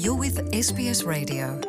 You're with S B S Radio.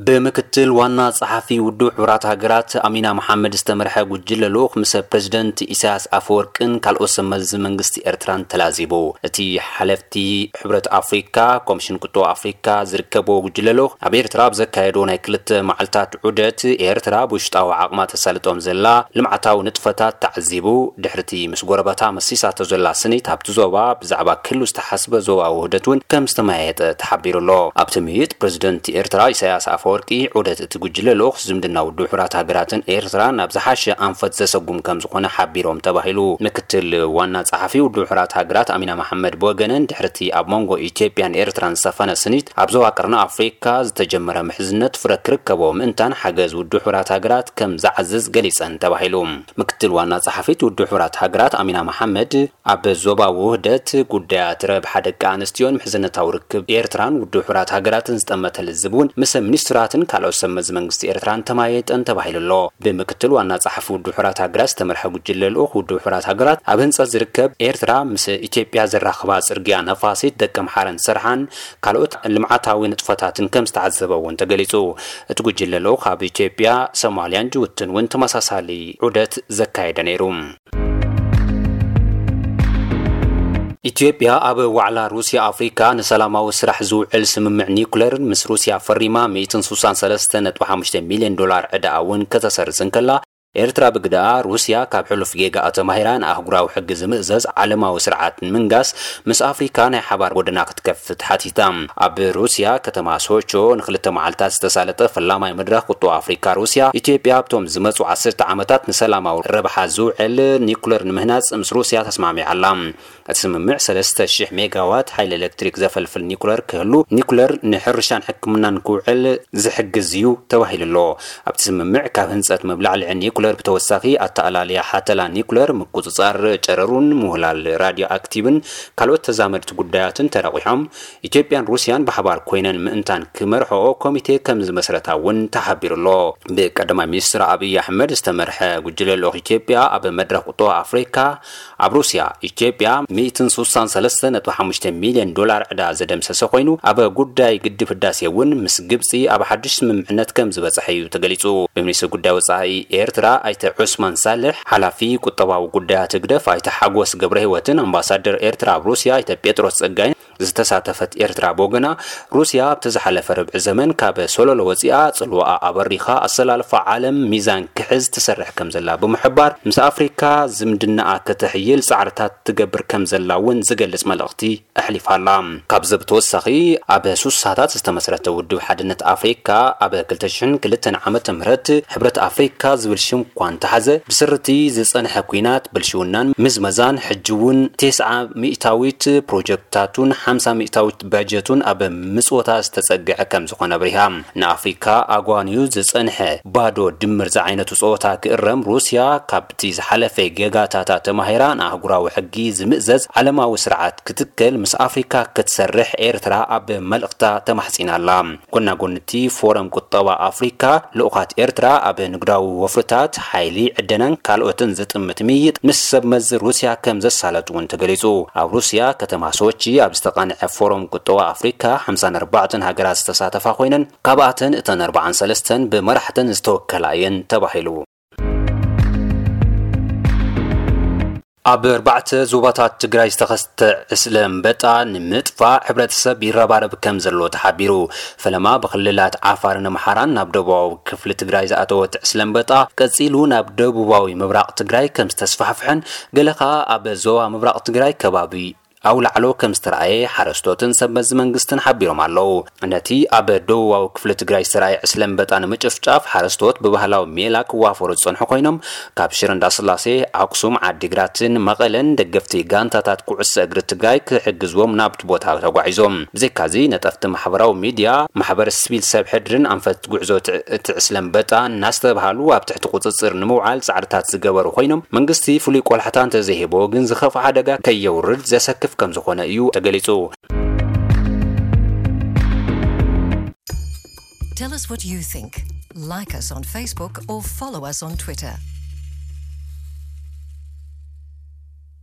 ብምክትል ዋና ጸሓፊ ውድብ ሕቡራት ሃገራት ኣሚና መሓመድ ዝተመርሐ ጉጅለ ልኡኽ ምስ ፕሬዝደንት ኢሳያስ ኣፈወርቅን ካልኦት ሰብ መዚ መንግስቲ ኤርትራን ተላዚቡ። እቲ ሓለፍቲ ሕብረት ኣፍሪካ፣ ኮሚሽን ቁጠባ ኣፍሪካ ዝርከብዎ ጉጅለ ልኡኽ ኣብ ኤርትራ ኣብ ዘካየዶ ናይ ክልተ መዓልታት ዑደት፣ ኤርትራ ብውሽጣዊ ዓቕማ ተሳልጦም ዘላ ልምዓታዊ ንጥፈታት ተዓዚቡ። ድሕርቲ ምስ ጎረባታ መሲሳቶ ዘላ ስኒት፣ ኣብቲ ዞባ ብዛዕባ ክህሉ ዝተሓስበ ዞባዊ ውህደት እውን ከም ዝተመያየጠ ተሓቢሩ ኣሎ። ኣብቲ ምይይጥ፣ ፕሬዝደንት ኤርትራ ኢሳያስ ኣፈወርቂ ዑደት እቲ ጉጅለ ልኡኽ ዝምድና ውድብ ሕቡራት ሃገራትን ኤርትራን ናብ ዝሓሸ ኣንፈት ዘሰጉም ከም ዝኾነ ሓቢሮም ተባሂሉ። ምክትል ዋና ጸሓፊ ውድብ ሕቡራት ሃገራት ኣሚና መሓመድ ብወገነን፣ ድሕርቲ ኣብ መንጎ ኢትዮጵያን ኤርትራን ዝሰፈነ ስኒት፣ ኣብ ዞባ ቀርኒ ኣፍሪካ ዝተጀመረ ምሕዝነት ፍረ ክርከቦ ምእንታን ሓገዝ ውድብ ሕቡራት ሃገራት ከም ዝዓዝዝ ገሊጸን ተባሂሉ። ምክትል ዋና ጸሓፊት ውድብ ሕቡራት ሃገራት ኣሚና መሓመድ፣ ኣብ ዞባዊ ውህደት፣ ጉዳያት ረብሓ ደቂ ኣንስትዮን ምሕዝነታዊ ርክብ ኤርትራን ውድብ ሕቡራት ሃገራትን ዝጠመተ ልዝብ እውን ምስ ሚኒስትራትን ካልኦት ሰብ መዚ መንግስቲ ኤርትራን ተማየጠን ተባሂሉ ኣሎ። ብምክትል ዋና ጸሓፊ ውድብ ሕቡራት ሃገራት ዝተመርሐ ጉጅለ ልኡኽ፣ ውድብ ሕቡራት ሃገራት ኣብ ህንጸት ዝርከብ ኤርትራ ምስ ኢትዮጵያ ዘራኽባ ጽርግያ ነፋሲት ደቂ ኣምሓራን ሰርሓን ካልኦት ልምዓታዊ ንጥፈታትን ከም ዝተዓዘበ እውን ተገሊጹ። እቲ ጉጅለ ልኡኽ ኣብ ኢትዮጵያ፣ ሶማልያን ጅቡትን እውን ተመሳሳሊ ዑደት ዘካየደ ነይሩ። ኢትዮጵያ ኣብ ዋዕላ ሩስያ ኣፍሪካ ንሰላማዊ ስራሕ ዝውዕል ስምምዕ ኒኩለር ምስ ሩስያ ፈሪማ፣ ሚእትን ስሳን ሰለስተ ነጥቢ ሓሙሽተ ሚልዮን ዶላር ዕዳኣ እውን ከተሰርዝ እንከላ፣ ኤርትራ ብግዳኣ፣ ሩስያ ካብ ሕሉፍ ጌጋኣ ተማሂራ ንኣህጉራዊ ሕጊ ዝምእዘዝ ዓለማዊ ስርዓት ንምንጋስ ምስ ኣፍሪካ ናይ ሓባር ጎደና ክትከፍት ሓቲታ። ኣብ ሩስያ ከተማ ሶቾ ንክልተ መዓልታት ዝተሳለጠ ፈላማይ መድረኽ ቁጠባ ኣፍሪካ ሩስያ፣ ኢትዮጵያ ኣብቶም ዝመጹ ዓሰርተ ዓመታት ንሰላማዊ ረብሓ ዝውዕል ኒኩለር ንምህናጽ ምስ ሩስያ ተስማሚዓ ኣላ። እቲ ስምምዕ ሰለስተ ሽሕ ሜጋዋት ሓይሊ ኤሌክትሪክ ዘፈልፍል ኒኩለር ክህሉ፣ ኒኩለር ንሕርሻን ሕክምናን ክውዕል ዝሕግዝ እዩ ተባሂሉ ኣሎ። ኣብቲ ስምምዕ ካብ ህንጸት መብላዕልዒ ኒኩለር ብተወሳኺ፣ ኣተኣላልያ ሓተላ ኒኩለር፣ ምቁጽጻር ጨረሩን ምውህላል ራድዮ ኣክቲቭን ካልኦት ተዛመድቲ ጉዳያትን ተረቂሖም። ኢትዮጵያን ሩስያን ብሓባር ኮይነን ምእንታን ክመርሕኦ ኮሚቴ ከም ዝመስረታ እውን ተሓቢሩ ኣሎ። ብቀዳማይ ሚኒስትር ኣብይ ኣሕመድ ዝተመርሐ ጉጅለ ልኡኽ ኢትዮጵያ ኣብ መድረኽ ቁጠባ ኣፍሪካ ኣብ ሩስያ፣ ኢትዮጵያ ሚእትን ስሳን ሰለስተ ነጥቢ ሓሙሽተ ሚልዮን ዶላር ዕዳ ዘደምሰሰ ኮይኑ፣ ኣብ ጉዳይ ግድብ ህዳሴ እውን ምስ ግብፂ ኣብ ሓድሽ ስምምዕነት ከም ዝበፅሐ እዩ ተገሊፁ። ብሚኒስትር ጉዳይ ወፃኢ ኤርትራ ኣይተ ዑስማን ሳልሕ፣ ሓላፊ ቁጠባዊ ጉዳያት ህግደፍ ኣይተ ሓጎስ ገብረ ህይወትን ኣምባሳደር ኤርትራ ኣብ ሩስያ ኣይተ ጴጥሮስ ጸጋይን ዝተሳተፈት ኤርትራ ብወገና፣ ሩስያ ኣብቲ ዝሓለፈ ርብዒ ዘመን ካብ ሶሎሎ ወፂኣ፣ ጽልዋኣ ኣበሪኻ፣ ኣሰላልፋ ዓለም ሚዛን ክሕዝ ትሰርሕ ከም ዘላ ብምሕባር፣ ምስ ኣፍሪካ ዝምድናኣ ከተሕይል ጻዕርታት ትገብር ከም ዘላ እውን ዝገልጽ መልእኽቲ ኣሕሊፋ ኣላ። ካብዚ ብተወሳኺ፣ ኣብ ሱሳታት ዝተመስረተ ውድብ ሓድነት ኣፍሪካ ኣብ ክልተ ሽሕን ክልተን ዓመተ ምህረት ሕብረት ኣፍሪካ ዝብል ሽም እኳ እንተሓዘ፣ ብስርቲ ዝጸንሐ ኲናት፣ ብልሽውናን ምዝመዛን፣ ሕጂ እውን ተስዓ ሚእታዊት ፕሮጀክታቱን ሓምሳ ሚእታዊት በጀቱን ኣብ ምጽወታ ዝተጸግዐ ከም ዝኾነ ኣብሪሃ። ንኣፍሪካ ኣጓንዩ ዝጸንሐ ባዶ ድምር ዝዓይነቱ ጸወታ ክእረም፣ ሩስያ ካብቲ ዝሓለፈ ጌጋታታ ተማሂራ፣ ንኣህጉራዊ ሕጊ ዝምእዘዝ ዓለማዊ ስርዓት ክትከል ምስ ኣፍሪካ ክትሰርሕ ኤርትራ ኣብ መልእኽታ ተማሕጺና ኣላ። ጎናጎንቲ ፎረም ቁጠባ ኣፍሪካ፣ ልኡኻት ኤርትራ ኣብ ንግዳዊ ወፍርታት፣ ሓይሊ፣ ዕደናን ካልኦትን ዝጥምት ምይይጥ ምስ ሰብ መዚ ሩስያ ከም ዘሳለጡ እውን ተገሊጹ። ኣብ ሩስያ ከተማ ሶቺ ኣብ ዝተቓንዐ ፎረም ቁጠባ ኣፍሪካ፣ ሓምሳን ኣርባዕተን ሃገራት ዝተሳተፋ ኮይነን፣ ካብኣተን እተን ኣርባዓን ሰለስተን ብመራሕተን ዝተወከላ እየን ተባሂሉ። ኣብ ኣርባዕተ ዞባታት ትግራይ ዝተኸስተ ዕስለ ኣንበጣ ንምጥፋእ ሕብረተሰብ ይረባረብ ከም ዘሎ ተሓቢሩ። ፈለማ ብክልላት ዓፋርን ኣምሓራን ናብ ደቡባዊ ክፍሊ ትግራይ ዝኣተወ እቲ ዕስለ ኣንበጣ ቀጺሉ ናብ ደቡባዊ ምብራቕ ትግራይ ከም ዝተስፋሕፍሐን፣ ገለ ኸኣ ኣብ ዞባ ምብራቕ ትግራይ ከባቢ ኣውላዕሎ ከም ዝተረኣየ ሓረስቶትን ሰብ መዚ መንግስትን ሓቢሮም ኣለዉ። ነቲ ኣብ ደቡባዊ ክፍሊ ትግራይ ዝተረኣየ ዕስለ ኣንበጣ ንምጭፍጫፍ ሓረስቶት ብባህላዊ ሜላ ክዋፈሩ ዝጸንሑ ኮይኖም፣ ካብ ሽረ እንዳስላሴ፣ ኣክሱም፣ ዓዲግራትን መቐለን ደገፍቲ ጋንታታት ኩዕሶ እግሪ ትግራይ ክሕግዝዎም ናብቲ ቦታ ተጓዒዞም። ብዘይካዚ፣ ነጠፍቲ ማሕበራዊ ሚድያ፣ ማሕበር ሲቪል ሰብ ሕድርን ኣንፈት ጉዕዞ እቲ፣ እቲ ዕስለ ኣንበጣ እናስተብሃሉ ኣብ ትሕቲ ቁጽጽር ንምውዓል ጻዕርታት ዝገበሩ ኮይኖም፣ መንግስቲ ፍሉይ ቆላሕታ እንተዘይሂቦ ግን ዝኸፍኣ ሓደጋ ከየውርድ ዘሰክፍ ከም ዝኾነ እዩ ተገሊጹ። Tell us what you think. Like us on Facebook or follow us on Twitter.